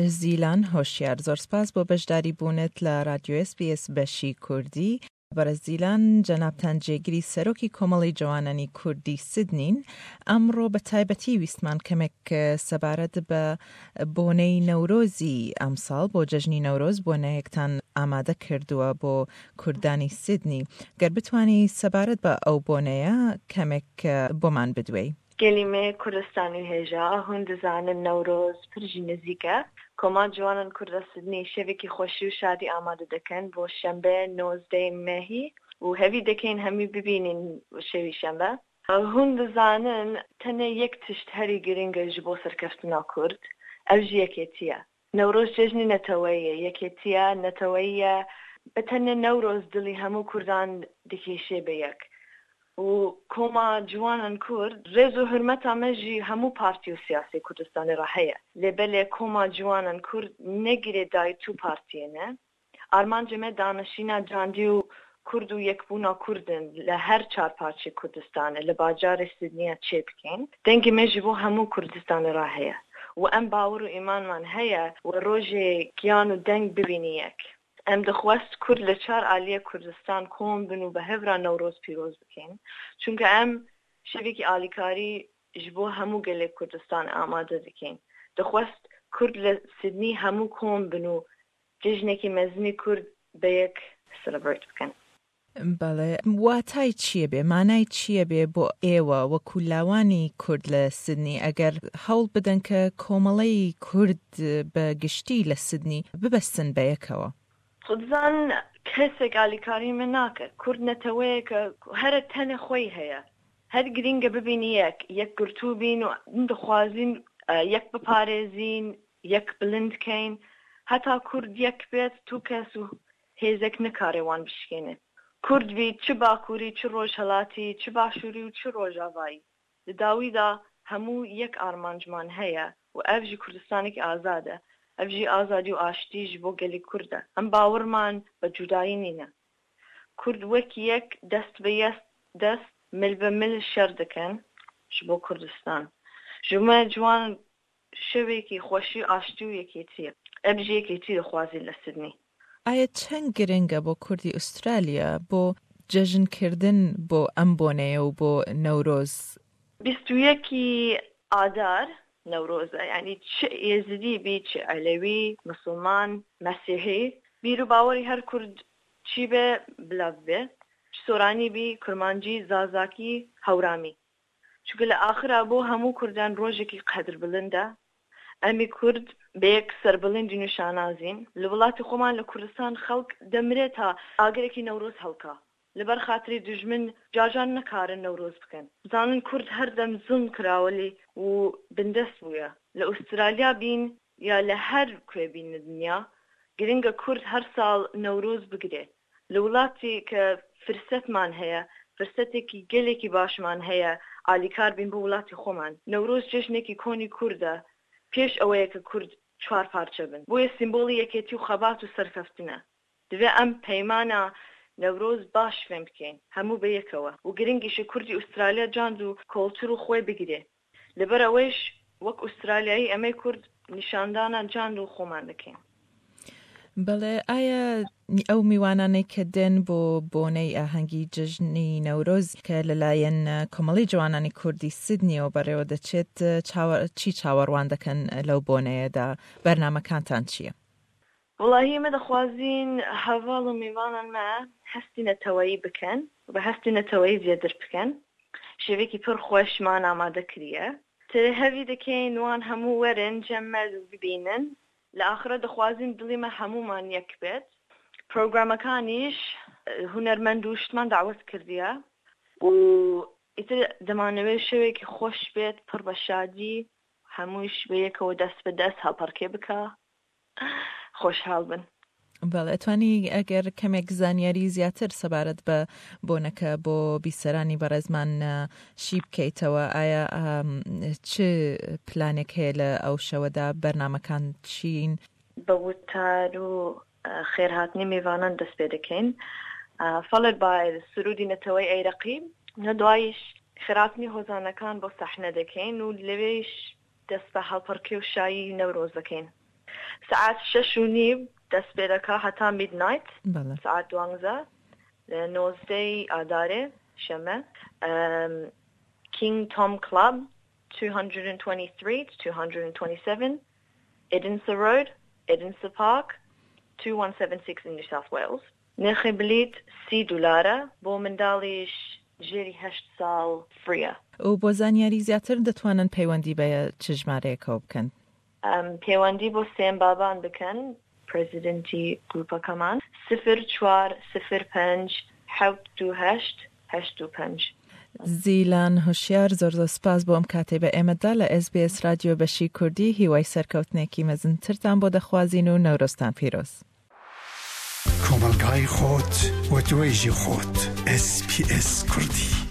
زیلان هۆشیار زۆر سپاس بۆ بەشداری بوونت لە رادیۆ ئێس بی ئێس بەشی کوردی. بەڕێز زیلان جەنابتان جێگری سەرۆکی کۆمەڵەی جەوانانی کوردی سیدنین، ئەمڕۆ بە تایبەتی ویستمان کەمێک سەبارەت بە بۆنەی نەورۆزی ئەمساڵ بۆ جەژنی نەورۆز بۆنەیەکتان ئامادە کردووە بۆ کوردانی سیدنی، گەر بتوانی سەبارەت بە ئەو بۆنەیە کەمێک بۆمان بدوێی. گەلی مێ کوردستانی هێژا هون دزانن نەورۆز پر ژی نزیکە کۆما جوانان کوردا سدنی شەڤێکی خۆشی و شادی ئامادە دەکەن بۆ شەنبە 19 مێهی و هەڤی دەکەین هەمی ببینین شەوی شەنبە. هون دزانن تەنێ یەک تشت هەری گرنگە ژ بۆ سەرکەفتنا کورد ئەو ژ یەکێتیە. نەورۆز جەژنی نەتەوەییە، یەکێتیە نەتەوەییە، بە تەنێ نەورۆز دڵی هەموو کوردان دکێشێ بە یەک و کۆما جوانان کورد ڕێز و حورمەتا مە ژی هەموو پارتی و سیاسی کوردستانی ڕا هەیە لێ بەلێ کۆما جوانان کورد نە گرێدای تو پارتیێ نە. ئارمانجێ مە دانەشینا جاندی و کورد و یەکبوونا کوردن لە هەر چار پارچەی کوردستانێ لە باجارێ سیدنیا چێ بکەین. دەنگێ مە ژی بۆ هەموو کوردستانێ ڕا هەیە و ئەم باوەڕ و ئیمانمان هەیە و ڕۆژێ گیان و دەنگ ببینی یەک. ئەم دخوەست کورد لە چار ئالیێ کوردستان کۆم بن و بە هەڤرا نەورۆز پیرۆز بکەین چونکە ئەم شەڤێکی ئالیکاری ژ بۆ هەموو گەلێ کوردستان ئامادە دکەین. دخوەست کورد لە سیدنی هەموو کۆم بن و جەژنێکی مەزنی کورد بەیەک سلبرەیت بکەن. بەڵێ واتای چیە بێ مانای چیە بێ بۆ ئێوە وەکو لاوانی کورد لە سدنی ئەگەر هەوڵ بدەن کە کۆمەڵەی کورد بە گشتی لە سدنی ببەستن بەیەکەوە؟ خودزان کەسێک ئالیکاری من ناکە کورد نەتەوەیەکە هەرە تەنێ خۆی هەیە هەر گرینگە ببین یەک یەکگرتوو بین و دخوازین یەک بپارێزین یەک بلند کەین هەتا کورد یەک بێت تو کەس و هێزێک نکارێ وان بشکێنێ کورد بیت چ باکوری چ ڕۆژهەلاتی چ باشوری و چ ڕۆژاڤایی لە داویدا هەموو یەک ئارمانجمان هەیە و ئەڤ ژی کوردستانێکی ئازادە ئەڤ ژی ئازادی و ئاشتی ژ بۆ گەلی کوردە ئەم باوڕمان بە جودایی نینە کورد وەک یەک دەست بە یەست دەست مل بە مل شەر دکەن ژ بۆ کوردستان ژ مە جوان شەوێکی خۆشی و ئاشتی و یەکێتیە. ئەبژی یەکێتی دەخوازین لە سدنی. ئایا چەند گرنگە بۆ کوردی ئوسترالیا بۆ جەژن کردن بۆ ئەم بۆنەیە و بۆ نەورۆز؟ 21 ی ئادار نەورۆزە یانی چ ئێزدی بی چ عەلەوی مسوڵمان مەسیحی بیر و باوەڕی هەر کورد چی بێ بلا ببێ چ سۆرانی بی کورمانجی زازاکی هەورامی چونکە لە ئاخرا بۆ هەموو کوردان ڕۆژێکی قەدر بلندە، ئەمی کورد بە یەک سەربلندین و شانازین، لە وڵاتی خۆمان لە کوردستان خەڵک دەمرێ تا ئاگرێکی نەورۆز هەڵکا، لەبەر خاتری دوژمن جارجار نەکارن نەورۆز بکەن، بزانن کورد هەردەم زوڵم کراوە لێی و بندەست بوویە، لە ئوسترالیا بین یا لە هەر کوێ بین لە دنیا، گرنگە کورد هەر ساڵ نەورۆز بگرێ، لە وڵاتی کە فرسەتمان هەیە، فرسەتێکی گەلێکی باشمان هەیە ئالیکار بین بۆ وڵاتی خۆمان. نەورۆز جەژنێکی کۆنی کوردە، پێش ئەوەیە کە کورد چوار پارچە بن. بۆیە سیمبۆڵی یەکێتی و خەبات و سەرکەفتنە. دەبێ ئەم پەیمانە نەورۆز باش فێم بکەین هەموو بە یەکەوە و گرنگیشە کوردی ئوسترالیا جاند و کۆڵتور و خۆی بگرێ. لەبەر ئەوەیش وەک ئوسترالیایی ئەمەی کورد نیشاندانە جاند و خۆمان دەکەین. بەڵێ ئایا ئەو میوانانەی کە دێن بۆ بۆنەی ئاهەنگی جەژنی نەورۆز کە لەلایەن کۆمەڵی جوانانی کوردی سیدنیەوە بەڕێوە دەچێت چی چاوەڕوان دەکەن لەو بۆنەیەدا بەرنامەکانتان چییە؟ وەڵاهی ئێمە دەخوازین هەڤاڵ و میوانان مە هەستی نەتەوەیی بکەن و بە هەستی نەتەوەیی زیادر بکەن شێوێکی پڕ خۆشمان ئامادە کریە تر هەڤی دەکەین وان هەموو وەرن جەم مە و ببینن لە ئاخرا دەخوازین دڵی مە هەموومان یەک بێت پرۆگرامەکانیش هونەرمەند و شتمان دەعوەت کردیە و ئیتر دەمانەوێت شەوێکی خۆش بێت پڕ بە شادی هەموویش بە یەکەوە دەست بە دەست هەڵپەڕکێ بکا خۆشحاڵ بن. بەڵێ ئەتوانی ئەگەر کەمێک زانیاری زیاتر سەبارەت بە بۆنەکە بۆ بیسەرانی بەڕێزمان شی بکەیتەوە ئایا چ پلانێک هەیە لە ئەو شەوەدا بەرنمەکان چین؟ بە وتار و خێرهاتنی میوانان دەست پێ دەکەین followed by سرودی نەتەوەی ئەی رەقیب لە دوایش خێرهاتنی هۆزانەکان بۆ سەحنە دەکەین و لەوێیش دەست بە هەڵپەڕکێ و شایی نەورۆز دەکەین. سەعات شەش و نیو دەست پێ دەکا هەتا میدنایت سەعات دوانزە لە نۆزدەی ئادارێ شەمە کینگ تۆم کڵەب 223 to 227 Edensor Road, Edensor Park 2176 in New South Wales. نرخی بلیت سی دولارە، بۆ منداڵیش ژێری هەشت ساڵ فریە. و بۆ زانیاری زیاتر دەتوانن پەیوەندی بە چ ژمارەیەکەوە بکەن؟ پەیوەندی بۆ سێم بابان بکەن پرێزیدنتی گروپەکەمان، سفر چوار سفر پەنج حەوت دوو هەشت هەشت دوو پەنج. زیلان هوشیار زۆر زۆر سپاس بۆ ئەم کاتەی بە ئێمەت دا لە ئێس بی ئێس رادیۆ بەشی کوردی هیوای سەرکەوتنێکی مەزنترتان بۆ دەخوازین و نەورۆزتان پیرۆز. کۆمەڵگای خۆت و توێژی خۆت ئێس پی ئێس کوردی.